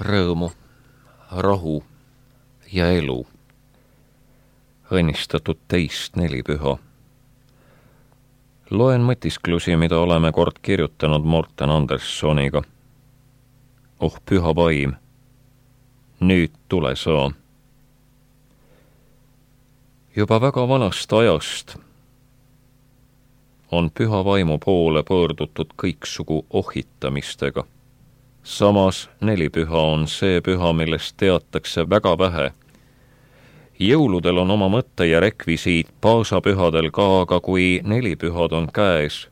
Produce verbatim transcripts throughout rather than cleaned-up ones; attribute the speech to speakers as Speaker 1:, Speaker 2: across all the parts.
Speaker 1: rõõmu, rahu ja elu. Õnnistatud teist nelipüha. Loen mõtisklusi, mida oleme kord kirjutanud Morten Anderssoniga. Oh püha vaim, nüüd tule saa. Juba väga vanast ajast on püha vaimu poole pöördutud kõiksugu ohitamistega. Samas nelipüha on see püha, millest teatakse väga vähe. Jõuludel on oma mõtte ja rekvisiit, paasapühadel ka, aga kui nelipühad on käes,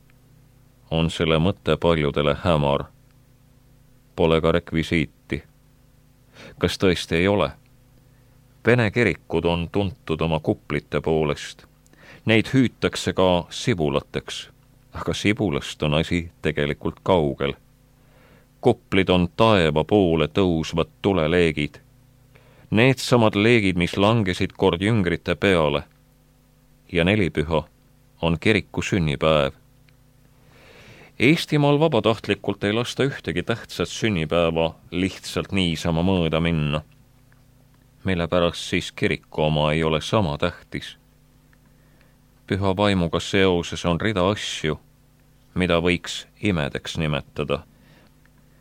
Speaker 1: on selle mõtte paljudele hämar. Pole ka rekvisiiti. Kas tõesti ei ole? Vene kirikud on tuntud oma kuplite poolest. Neid hüütakse ka sibulateks, aga sibulast on asi tegelikult kaugel. Kuplid on taeva poole tõusvad tuleleegid. Need samad leegid, mis langesid kord jüngrite peale. Ja nelipüha on kiriku sünnipäev. Eestimaal vabatahtlikult ei lasta ühtegi tähtsat sünnipäeva lihtsalt niisama mõõda minna. Mille pärast siis kiriku oma ei ole sama tähtis. Püha vaimuga seoses on rida asju, mida võiks imedeks nimetada.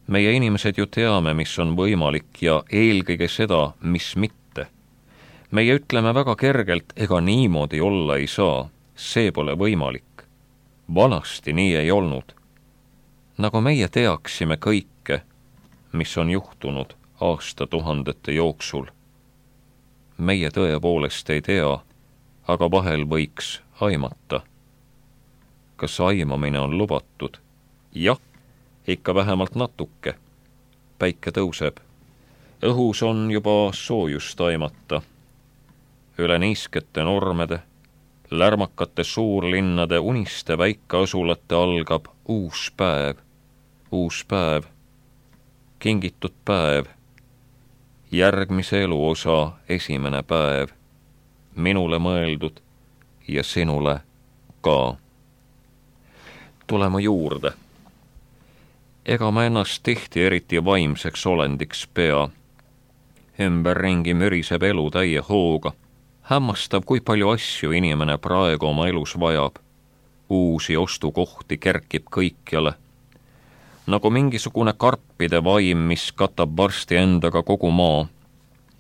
Speaker 1: Meie inimesed ju teame, mis on võimalik ja eelkõige seda, mis mitte. Meie ütleme väga kergelt, ega niimoodi olla ei saa, see pole võimalik. Vanasti nii ei olnud. Nagu meie teaksime kõike, mis on juhtunud aastatuhandete jooksul. Meie tõepoolest ei tea, aga vahel võiks aimata. Kas aimamine on lubatud? Jah. Ikka vähemalt natuke. Päike tõuseb. Õhus on juba soojust aimata. Üle niiskete normede, lärmakate suurlinnade uniste väikeasulate algab uus päev. Uus päev. Kingitud päev. Järgmise eluosa esimene päev. Minule mõeldud ja sinule ka. Tulema juurde. Ega ma ennast tihti eriti vaimseks olendiks pea. Ümberringi müriseb elu täie hooga. Hämmastav, kui palju asju inimene praegu oma elus vajab. Uusi ostukohti kerkib kõikjale. Nagu mingisugune karpide vaim, mis katab varsti endaga kogu maa.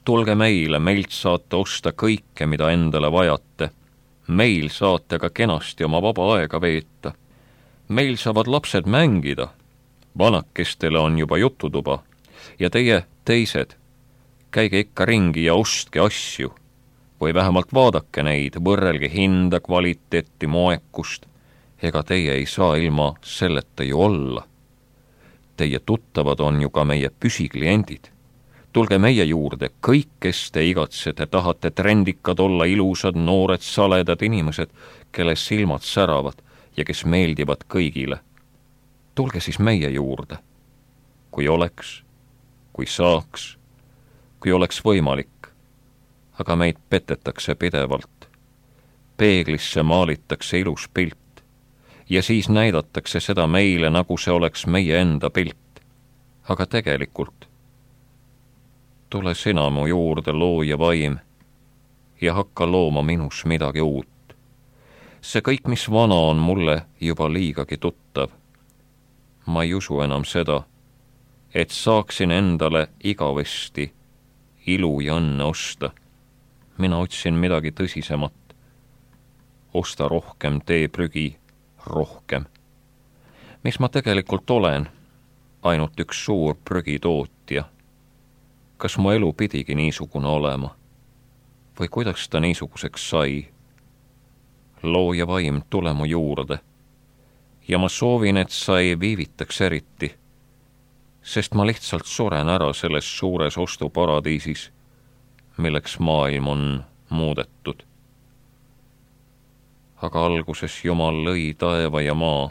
Speaker 1: Tulge meile, meilt saate osta kõike, mida endale vajate. Meil saate ka kenasti oma vaba aega veeta. Meil saavad lapsed mängida. Vanakestele on juba jututuba ja teie teised, käige ikka ringi ja ostke asju või vähemalt vaadake neid, võrrelge hinda, kvaliteeti, moekust. Ega teie ei saa ilma selleta ju olla. Teie tuttavad on ju ka meie püsikliendid. Tulge meie juurde, kõik, kes te igatsete, tahate trendikad olla, ilusad, noored, saledad inimesed, kelle silmad säravad ja kes meeldivad kõigile. Tulge siis meie juurde, kui oleks, kui saaks, kui oleks võimalik, aga meid petetakse pidevalt. Peeglisse maalitakse ilus pilt ja siis näidatakse seda meile, nagu see oleks meie enda pilt. Aga tegelikult tule sina mu juurde, looja vaim, ja hakka looma minus midagi uut. See kõik, mis vana on mulle juba liigagi tuttav. Ma ei usu enam seda, et saaksin endale igavesti ilu ja õnne osta. Mina otsin midagi tõsisemat. Osta rohkem, tee prügi rohkem. Mis ma tegelikult olen? Ainult üks suur prügitootja. Kas mu elu pidigi niisugune olema? Või kuidas ta niisuguseks sai? Looja vaim, tule mu juurde. Ja ma soovin, et sa ei viivitaks eriti, sest ma lihtsalt suren ära selles suures ostuparadiisis, milleks maailm on muudetud. Aga alguses Jumal lõi taeva ja maa,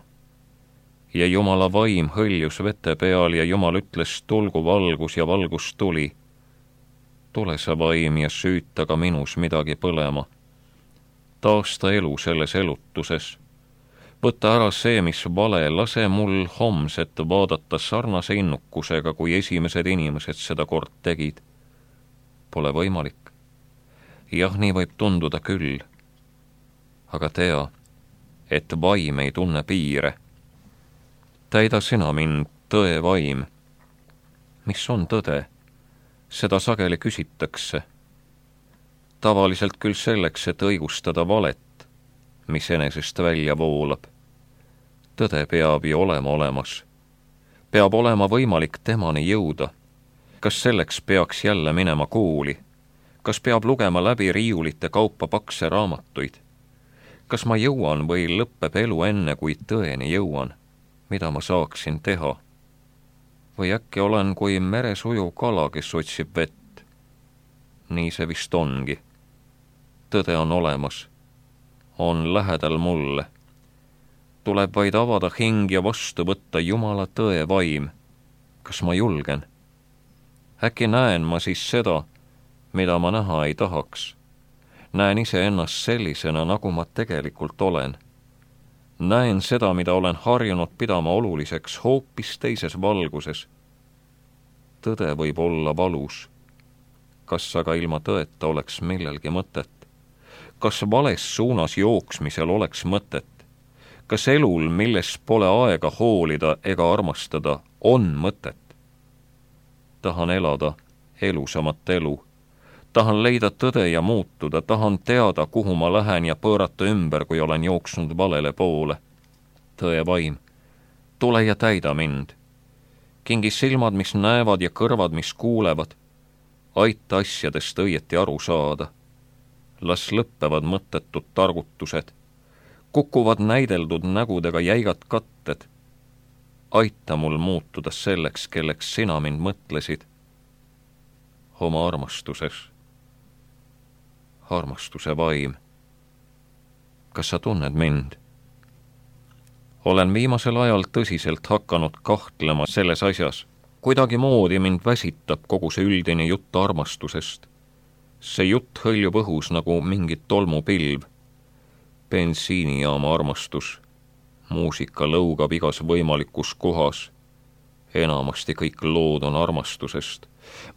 Speaker 1: ja Jumala vaim hõljus vete peal ja Jumal ütles, tulgu valgus ja valgus tuli. Tule sa vaim ja süüta ka minus midagi põlema. Taasta elu selles elutuses. Võta ära see, mis vale, lase mul homset vaadata sarnase innukusega, kui esimesed inimesed seda kord tegid. Pole võimalik. Jah, nii võib tunduda küll. Aga tea, et vaim ei tunne piire. Täida sina mind, tõe vaim. Mis on tõde? Seda sageli küsitakse. Tavaliselt küll selleks, et õigustada valet, mis enesest välja voolab. Tõde peab ju olema olemas. Peab olema võimalik temani jõuda. Kas selleks peaks jälle minema kooli? Kas peab lugema läbi riiulite kaupa pakse raamatuid? Kas ma jõuan või lõppeb elu enne, kui tõeni jõuan? Mida ma saaksin teha? Või äkki olen kui meres ujuv kala, kes otsib vett? Nii see vist ongi. Tõde on olemas. On lähedal mulle. Tuleb vaid avada hing ja vastu võtta Jumala tõe vaim. Kas ma julgen? Äkki näen ma siis seda, mida ma näha ei tahaks. Näen ise ennast sellisena, nagu ma tegelikult olen. Näen seda, mida olen harjunud pidama oluliseks hoopis teises valguses. Tõde võib olla valus. Kas aga ilma tõeta oleks millelgi mõtet? Kas vales suunas jooksmisel oleks mõtet? Kas elul, milles pole aega hoolida ega armastada, on mõtet? Tahan elada elusamat elu. Tahan leida tõde ja muutuda, tahan teada, kuhu ma lähen ja pöörata ümber, kui olen jooksnud valele poole. Tõe vaim, tule ja täida mind. Kingi silmad, mis näevad ja kõrvad, mis kuulevad. Aita asjadest õieti aru saada. Las lõppevad mõttetud targutused. Kukuvad näideldud nägudega jäigad katted. Aita mul muutuda selleks, kelleks sina mind mõtlesid. Oma armastuses. Armastuse vaim. Kas sa tunned mind? Olen viimasel ajal tõsiselt hakanud kahtlema selles asjas. Kuidagi moodi mind väsitab kogu see üldine jutt armastusest. See jutt hõljub õhus nagu mingi tolmupilv. Bensiinijaama armastus. Muusika lõugab igas võimalikus kohas. Enamasti kõik lood on armastusest.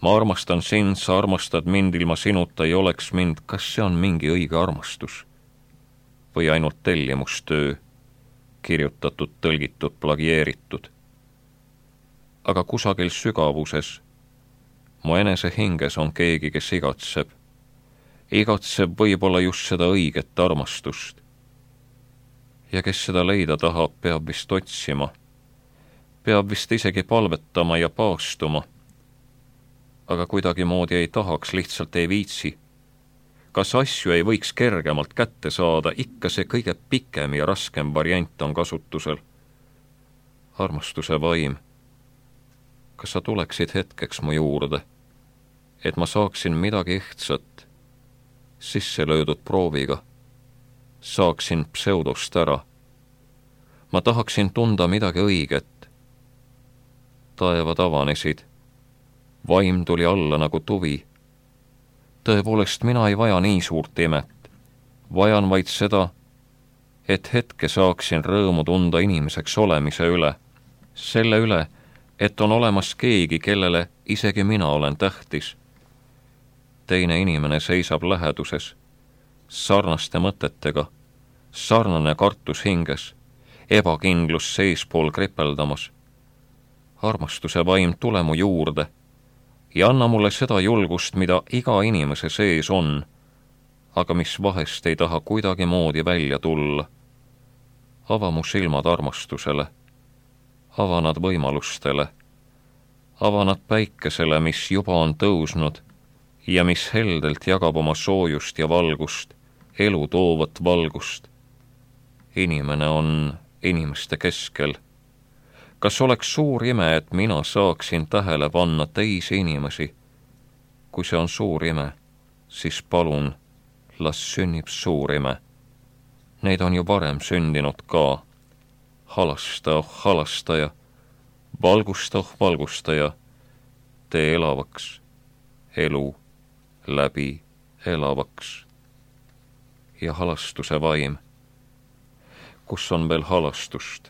Speaker 1: Ma armastan sind, sa armastad mind, ilma sinuta ei oleks mind. Kas see on mingi õige armastus? Või ainult tellimustöö, kirjutatud, tõlgitud, plagieeritud? Aga kusagil sügavuses, mu enese hinges on keegi, kes igatseb. Igatseb võib-olla just seda õiget armastust. Ja kes seda leida tahab, peab vist otsima. Peab vist isegi palvetama ja paastuma. Aga kuidagi moodi ei tahaks, lihtsalt ei viitsi. Kas asju ei võiks kergemalt kätte saada, ikka see kõige pikem ja raskem variant on kasutusel. Armastuse vaim. Kas sa tuleksid hetkeks mu juurde, et ma saaksin midagi ehtsat, sisse löödud prooviga, saaksin pseudost ära. Ma tahaksin tunda midagi õiget. Taevad avanesid. Vaim tuli alla nagu tuvi. Tõepoolest, mina ei vaja nii suurt imet. Vajan vaid seda, et hetke saaksin rõõmu tunda inimeseks olemise üle. Selle üle, et on olemas keegi, kellele isegi mina olen tähtis. Teine inimene seisab läheduses, sarnaste mõtetega, sarnane kartus hinges, ebakindlus seespool kripeldamas. Armastuse vaim, tule mu juurde ja anna mulle seda julgust, mida iga inimese sees on, aga mis vahest ei taha kuidagi moodi välja tulla. Ava mu silmad armastusele, ava nad võimalustele, ava nad päikesele, mis juba on tõusnud ja mis heldelt jagab oma soojust ja valgust, elu toovat valgust. Inimene on inimeste keskel. Kas oleks suur ime, et mina saaksin tähele panna teisi inimesi? Kui see on suur ime, siis palun, las sünnib suur ime. Neid on ju varem sündinud ka. Halasta, oh halastaja, valgusta, oh valgustaja, tee elavaks, elu läbi elavaks. Ja halastuse vaim. kus on veel halastust?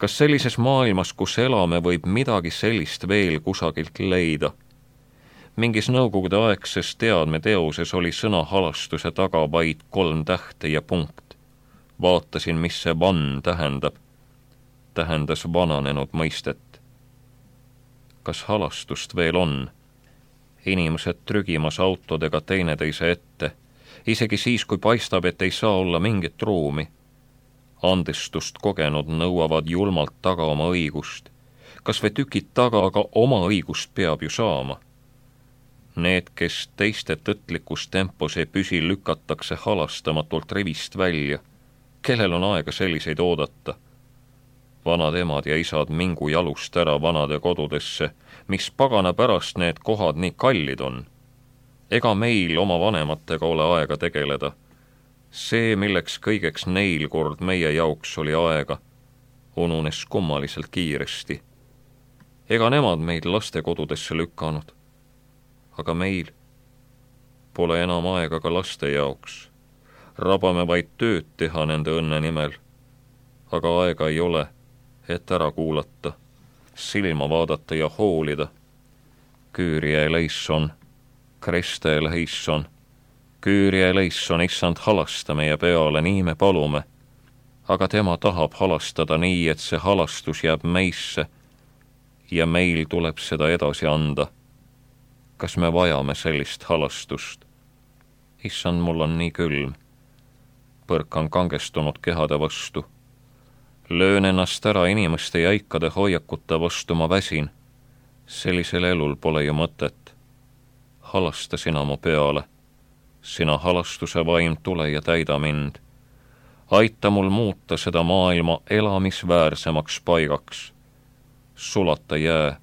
Speaker 1: Kas sellises maailmas, kus elame, võib midagi sellist veel kusagilt leida? Mingis nõukogude aegses teadmeteoses oli sõna halastuse taga vaid kolm tähte ja punkt. Vaatasin, mis see van tähendab. Tähendas vananenud mõistet. Kas halastust veel on? Inimesed trügimas autodega teineteise ette, isegi siis, kui paistab, et ei saa olla mingit ruumi. Andestust kogenud nõuavad julmalt taga oma õigust. Kas või tükid taga, aga oma õigust peab ju saama. Need, kes teiste tõtlikus tempos ei püsi, lükatakse halastamatult rivist välja. Kellel on aega selliseid oodata? Vanad emad ja isad mingu jalust ära vanade kodudesse, mis pagana pärast need kohad nii kallid on. Ega meil oma vanematega ole aega tegeleda. See, milleks kõigeks neil kord meie jauks oli aega, ununes kummaliselt kiiresti. Ega nemad meid lastekodudesse lükanud. Aga meil pole enam aega ka laste jaoks. Rabame vaid tööd teha nende õnne nimel. Aga aega ei ole, et ära kuulata, silma vaadata ja hoolida. Küürie leisson, Kriste leisson, Küürie leisson, issand, halasta meie peale, nii me palume. Aga tema tahab halastada nii, et see halastus jääb meisse ja meil tuleb seda edasi anda. Kas me vajame sellist halastust? Issand, mul on nii külm. Põrkan kangestunud kehade vastu. Löön ennast ära inimeste jäikade hoiakuta vastu, ma väsin. Sellisel elul pole ju mõtet. Halasta sina mu peale. Sina halastuse vaim, tule ja täida mind. Aita mul muuta seda maailma elamisväärsemaks paigaks. Sulata jää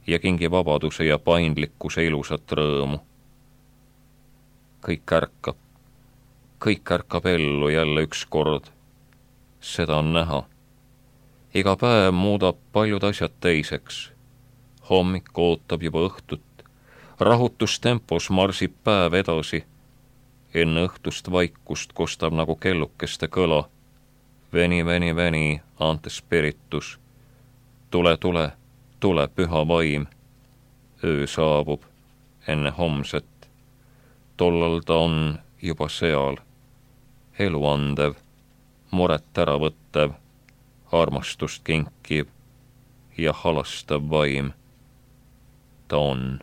Speaker 1: ja kingi vabaduse ja paindlikkuse ilusat rõõmu. Kõik ärkab. Kõik ärkab ellu jälle üks kord. Seda on näha. Iga päev muudab paljud asjad teiseks. Hommik ootab juba õhtut. Rahutustempos marsib päev edasi. Enne õhtust vaikust kostab nagu kellukeste kõla. Veni, veni, veni, ante spiritus. Tule, tule, tule, püha vaim. Öö saabub enne homset. Tollal ta on juba seal. Elu andev, muret ära võttev, armastust kinkiv ja halastav vaim. Ta on.